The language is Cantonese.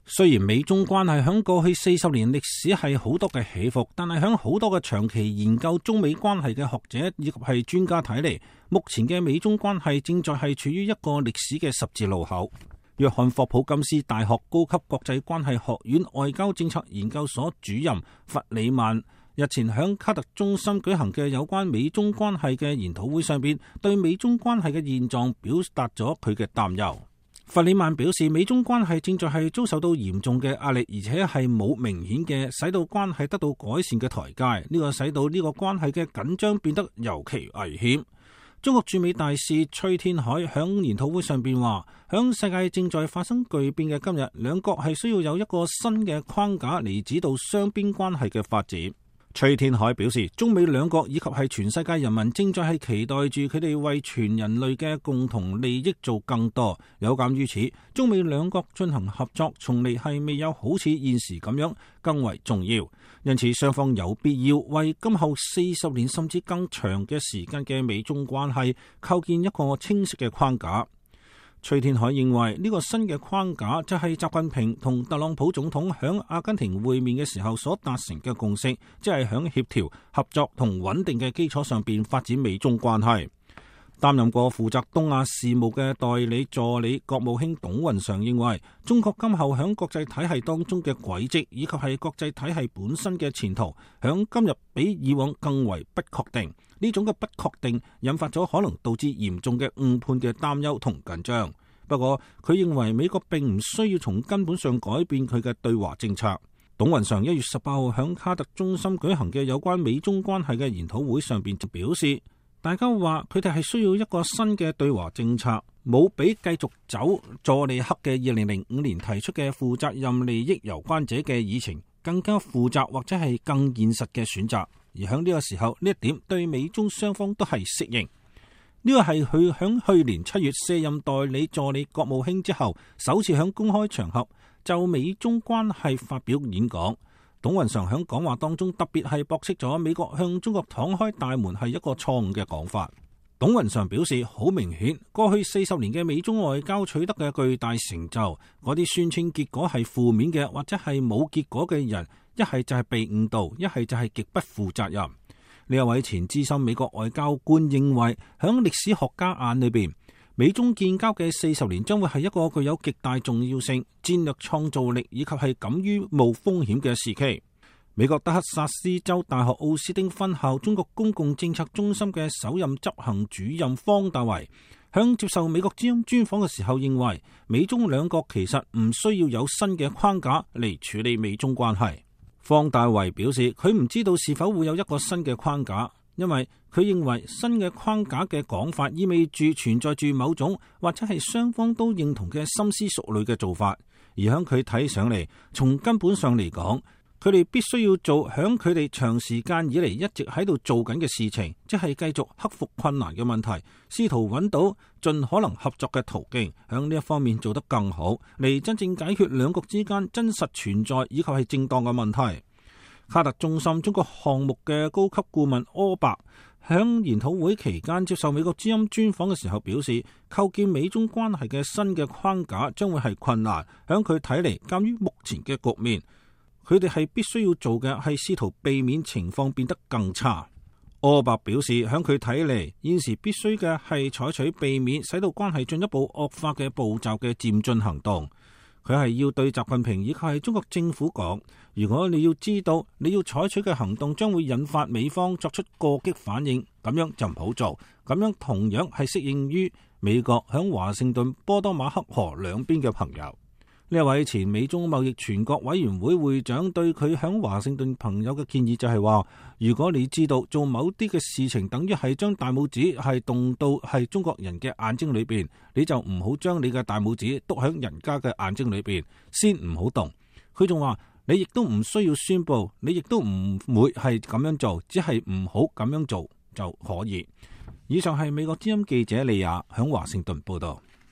雖然美中關係響過去40年歷史係好多嘅起伏，但係響好多嘅長期研究中美關係嘅學者以及係專家睇嚟，目前嘅美中關係正在係處於一個歷史嘅十字路口。約翰霍普金斯大學高級國際關係學院外交政策研究所主任弗里曼日前響卡特中心舉行嘅有關美中關係嘅研討會上邊，對美中關係嘅現狀表達咗佢嘅擔憂。弗里曼表示，美中關係正在係遭受到嚴重嘅壓力，而且係冇明顯嘅使到關係得到改善嘅台階。呢個使到呢個關係嘅緊張變得尤其危險。中國駐美大使崔天凱響研討會上邊話，響世界正在發生巨變嘅今日，兩國係需要有一個新嘅框架嚟指導雙邊關係嘅發展。崔天凱表示，中美兩國以及係全世界人民正在係期待住佢哋為全人類嘅共同利益做更多。有鑒於此，中美兩國進行合作從嚟係未有好似現時咁樣更為重要。因此，雙方有必要為今後40年甚至更長嘅時間嘅美中關係構建一個清晰嘅框架。崔天凱認為呢個新嘅框架就係習近平同特朗普總統響阿根廷會面嘅時候所達成嘅共識，即係響協調、合作同穩定嘅基礎上邊發展美中關係。擔任過負責東亞事務嘅代理助理國務卿董雲常認為，中國今後響國際體系當中嘅軌跡以及係國際體系本身嘅前途，響今日比以往更為不確定。呢種嘅不確定引發咗可能導致嚴重嘅誤判嘅擔憂同緊張。不過佢認為美國並唔需要從根本上改變佢嘅對華政策。董雲常1月18號響卡特中心舉行嘅有關美中關係嘅研討會上邊就表示，大家話佢哋係需要一個新嘅對華政策，冇比繼續走佐利克嘅2005年提出嘅負責任利益攸關者嘅議程更加負責或者係更現實嘅選擇。而喺呢個時候，呢一點對美中雙方都係適應。呢個係佢響去年7月卸任代理助理國務卿之後，首次響公開場合就美中關係發表演講。董雲常響講話當中特別係駁斥咗美國向中國敞開大門係一個錯誤嘅講法。董雲常表示，好明顯，過去40年嘅美中外交取得嘅巨大成就，嗰啲宣稱結果係負面嘅或者係冇結果嘅人，一係就係被誤導，一係就係極不負責任。呢一位前資深美國外交官認為，響歷史學家眼裏邊，美中建交嘅40年將會係一個具有極大重要性、戰略創造力以及係敢於冒風險嘅時期。美國德克薩斯州大學奧斯汀分校中國公共政策中心嘅首任執行主任方大為響接受美國之音專訪嘅時候認為，美中兩國其實唔需要有新嘅框架嚟處理美中關係。方大為表示，佢唔知道是否會有一個新嘅框架，因為佢認為新嘅框架嘅講法意味住存在住某種或者係雙方都認同嘅深思熟慮嘅做法，而響佢睇上嚟，從根本上嚟講，佢哋必須要做響佢哋長時間以嚟一直喺度做緊嘅事情，即係繼續克服困難嘅問題，試圖揾到盡可能合作嘅途徑，響呢一方面做得更好，嚟真正解決兩國之間真實存在以及係正當嘅問題。卡特中心中國項目嘅高級顧問柯伯響研討會期間接受美國之音專訪嘅時候表示，構建美中關係嘅新嘅框架將會係困難。響佢睇嚟，鑒於目前嘅局面，佢哋係必須要做嘅係試圖避免情況變得更差。柯伯表示，響佢睇嚟，現時必須嘅係採取避免使到關係進一步惡化嘅步驟嘅漸進行動。佢係要對習近平以及係中國政府講，如果你要知道你要採取嘅行動將會引發美方作出過激反應，咁樣就唔好做。咁樣同樣係適應於美國響華盛頓波多馬克河兩邊嘅朋友。呢一位前美中貿易全國委員會會長對佢響華盛頓朋友嘅建議就係話，如果你知道做某啲嘅事情等於係將大拇指係動到係中國人嘅眼睛裏邊，你就唔好將你嘅大拇指篤響人家嘅眼睛裏邊，先唔好動。佢仲話，你亦都唔需要宣布，你亦都唔會係咁樣做，只係唔好咁樣做就可以。以上係美國之音記者李亞響華盛頓報道。